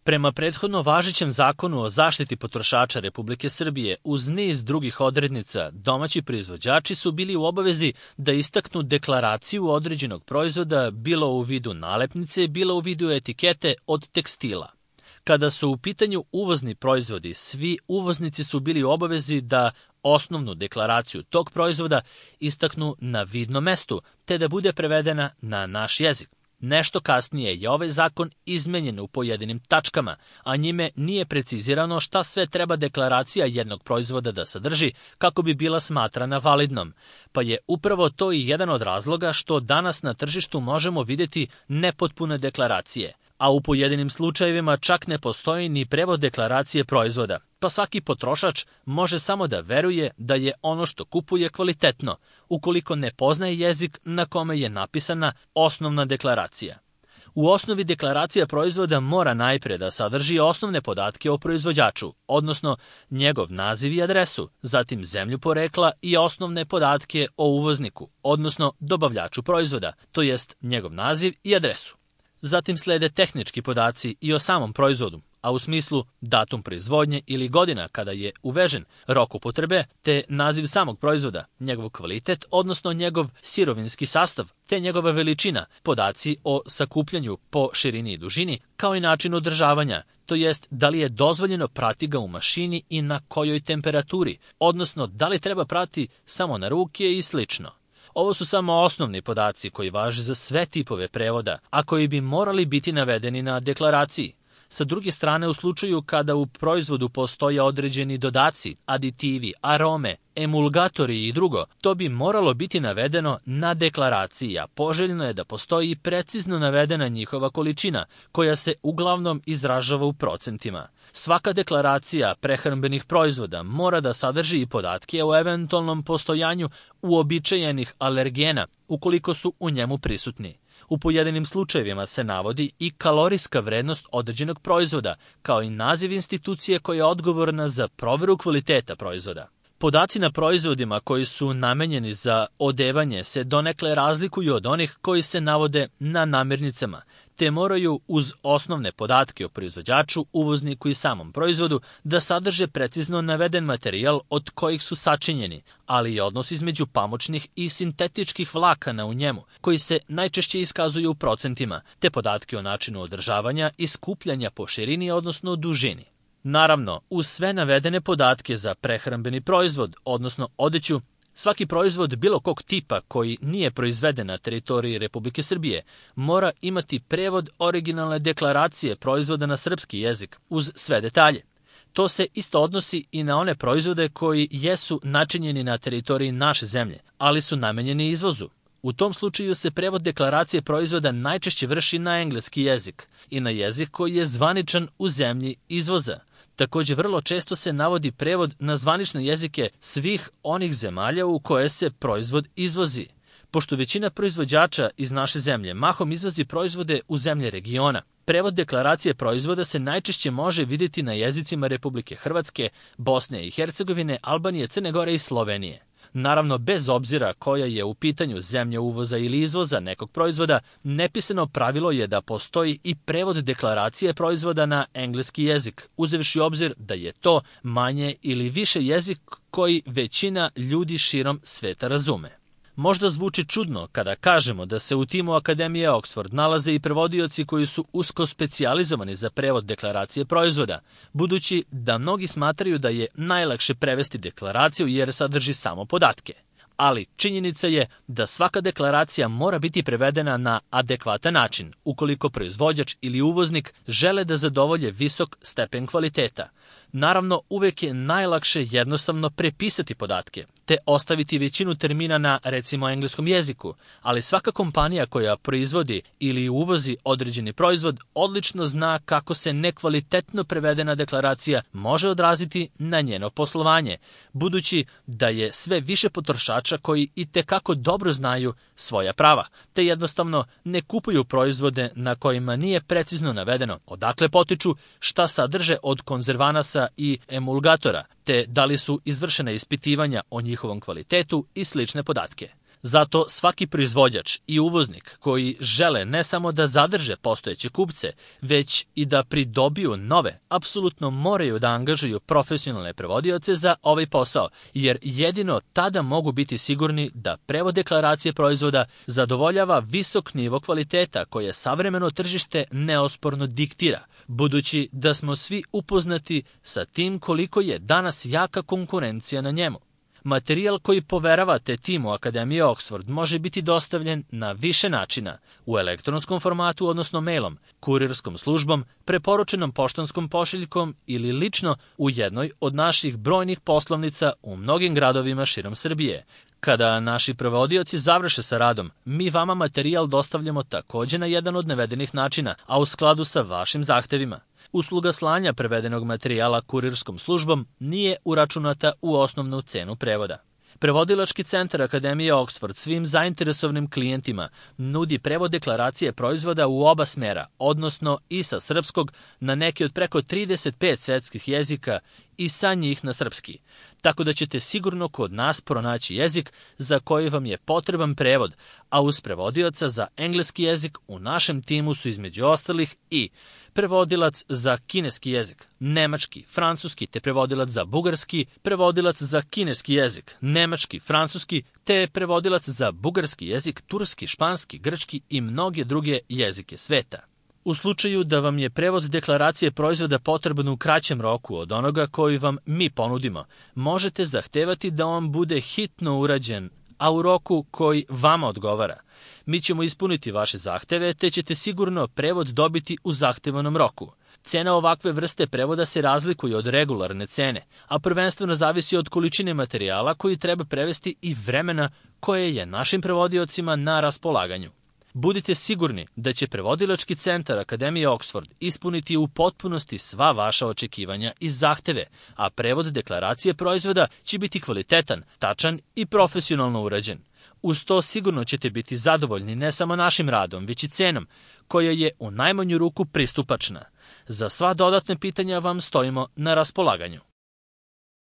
Prema prethodno važećem Zakonu o zaštiti potrošača Republike Srbije, uz niz drugih odrednica, domaći proizvođači su bili u obavezi da istaknu deklaraciju određenog proizvoda, bilo u vidu nalepnice, bilo u vidu etikete od tekstila. Kada su u pitanju uvozni proizvodi, svi uvoznici su bili u obavezi da osnovnu deklaraciju tog proizvoda istaknu na vidnom mestu, te da bude prevedena na naš jezik. Nešto kasnije je ovaj zakon izmenjen u pojedinim tačkama, a njime nije precizirano šta sve treba deklaracija jednog proizvoda da sadrži kako bi bila smatrana validnom, pa je upravo to i jedan od razloga što danas na tržištu možemo vidjeti nepotpune deklaracije, a u pojedinim slučajevima čak ne postoji ni prevod deklaracije proizvoda, pa svaki potrošač može samo da veruje da je ono što kupuje kvalitetno, ukoliko ne poznaje jezik na kome je napisana osnovna deklaracija. U osnovi deklaracija proizvoda mora najpre da sadrži osnovne podatke o proizvođaču, odnosno njegov naziv i adresu, zatim zemlju porekla i osnovne podatke o uvozniku, odnosno dobavljaču proizvoda, to jest njegov naziv i adresu. Zatim slede tehnički podaci i o samom proizvodu, a u smislu datum proizvodnje ili godina kada je uvežen, rok upotrebe, te naziv samog proizvoda, njegov kvalitet, odnosno njegov sirovinski sastav, te njegova veličina, podaci o sakupljanju po širini i dužini, kao i način održavanja, to jest da li je dozvoljeno prati ga u mašini i na kojoj temperaturi, odnosno da li treba prati samo na ruke i slično. Ovo su samo osnovni podaci koji važe za sve tipove prevoda, a koji bi morali biti navedeni na deklaraciji. Sa druge strane, u slučaju kada u proizvodu postoje određeni dodaci, aditivi, arome, emulgatori i drugo, to bi moralo biti navedeno na deklaraciji, a poželjno je da postoji i precizno navedena njihova količina, koja se uglavnom izražava u procentima. Svaka deklaracija prehrambenih proizvoda mora da sadrži i podatke o eventualnom postojanju uobičajenih alergena, ukoliko su u njemu prisutni. U pojedinim slučajevima se navodi i kalorijska vrednost određenog proizvoda, kao i naziv institucije koja je odgovorna za proveru kvaliteta proizvoda. Podaci na proizvodima koji su namenjeni za odevanje se donekle razlikuju od onih koji se navode na namirnicama, te moraju uz osnovne podatke o proizvođaču, uvozniku i samom proizvodu da sadrže precizno naveden materijal od kojih su sačinjeni, ali i odnos između pamučnih i sintetičkih vlakana u njemu, koji se najčešće iskazuju u procentima, te podatke o načinu održavanja i skupljanja po širini, odnosno dužini. Naravno, uz sve navedene podatke za prehrambeni proizvod, odnosno odeću, svaki proizvod bilo kog tipa koji nije proizveden na teritoriji Republike Srbije mora imati prevod originalne deklaracije proizvoda na srpski jezik uz sve detalje. To se isto odnosi i na one proizvode koji jesu načinjeni na teritoriji naše zemlje, ali su namenjeni izvozu. U tom slučaju se prevod deklaracije proizvoda najčešće vrši na engleski jezik i na jezik koji je zvaničan u zemlji izvoza. Također vrlo često se navodi prevod na zvanične jezike svih onih zemalja u koje se proizvod izvozi. Pošto većina proizvođača iz naše zemlje mahom izvozi proizvode u zemlje regiona, prevod deklaracije proizvoda se najčešće može vidjeti na jezicima Republike Hrvatske, Bosne i Hercegovine, Albanije, Crne Gore i Slovenije. Naravno, bez obzira koja je u pitanju zemlja uvoza ili izvoza nekog proizvoda, nepisano pravilo je da postoji i prevod deklaracije proizvoda na engleski jezik, uzevši u obzir da je to manje ili više jezik koji većina ljudi širom sveta razume. Možda zvuči čudno kada kažemo da se u timu Akademije Oxford nalaze i prevodioci koji su usko specijalizovani za prevod deklaracije proizvoda, budući da mnogi smatraju da je najlakše prevesti deklaraciju jer sadrži samo podatke. Ali činjenica je da svaka deklaracija mora biti prevedena na adekvatan način, ukoliko proizvođač ili uvoznik žele da zadovolje visok stepen kvaliteta. Naravno, uvek je najlakše jednostavno prepisati podatke, te ostaviti većinu termina na, recimo, engleskom jeziku, ali svaka kompanija koja proizvodi ili uvozi određeni proizvod odlično zna kako se nekvalitetno prevedena deklaracija može odraziti na njeno poslovanje, budući da je sve više potrošača koji itekako dobro znaju svoja prava, te jednostavno ne kupuju proizvode na kojima nije precizno navedeno odakle potiču, šta sadrže od konzervanasa i emulgatora, te da li su izvršena ispitivanja o njihovom kvalitetu i slične podatke. Zato svaki proizvođač i uvoznik koji žele ne samo da zadrže postojeće kupce, već i da pridobiju nove, apsolutno moraju da angažuju profesionalne prevodioce za ovaj posao, jer jedino tada mogu biti sigurni da prevod deklaracije proizvoda zadovoljava visok nivo kvaliteta koje savremeno tržište neosporno diktira, budući da smo svi upoznati sa tim koliko je danas jaka konkurencija na njemu. Materijal koji poveravate timu Akademije Oxford može biti dostavljen na više načina, u elektronskom formatu, odnosno mailom, kurirskom službom, preporučenom poštanskom pošiljkom ili lično u jednoj od naših brojnih poslovnica u mnogim gradovima širom Srbije. Kada naši prevodioci završe sa radom, mi vama materijal dostavljamo takođe na jedan od navedenih načina, a u skladu sa vašim zahtevima. Usluga slanja prevedenog materijala kurirskom službom nije uračunata u osnovnu cenu prevoda. Prevodilački centar Akademije Oxford svim zainteresovanim klijentima nudi prevod deklaracije proizvoda u oba smera, odnosno i sa srpskog na neki od preko 35 svetskih jezika i sa njih na srpski. Tako da ćete sigurno kod nas pronaći jezik za koji vam je potreban prevod, a uz prevodioca za engleski jezik u našem timu su između ostalih i prevodilac za kineski jezik, nemački, francuski, te prevodilac za bugarski, prevodilac za kineski jezik, nemački, francuski, te prevodilac za bugarski jezik, turski, španski, grčki i mnoge druge jezike sveta. U slučaju da vam je prevod deklaracije proizvoda potreban u kraćem roku od onoga koji vam mi ponudimo, možete zahtevati da on bude hitno urađen, a u roku koji vama odgovara. Mi ćemo ispuniti vaše zahteve, te ćete sigurno prevod dobiti u zahtevanom roku. Cena ovakve vrste prevoda se razlikuje od regularne cene, a prvenstveno zavisi od količine materijala koji treba prevesti i vremena koje je našim prevodiocima na raspolaganju. Budite sigurni da će prevodilački centar Akademije Oxford ispuniti u potpunosti sva vaša očekivanja i zahteve, a prevod deklaracije proizvoda će biti kvalitetan, tačan i profesionalno urađen. Uz to sigurno ćete biti zadovoljni ne samo našim radom, već i cenom, koja je u najmanju ruku pristupačna. Za sva dodatna pitanja vam stojimo na raspolaganju.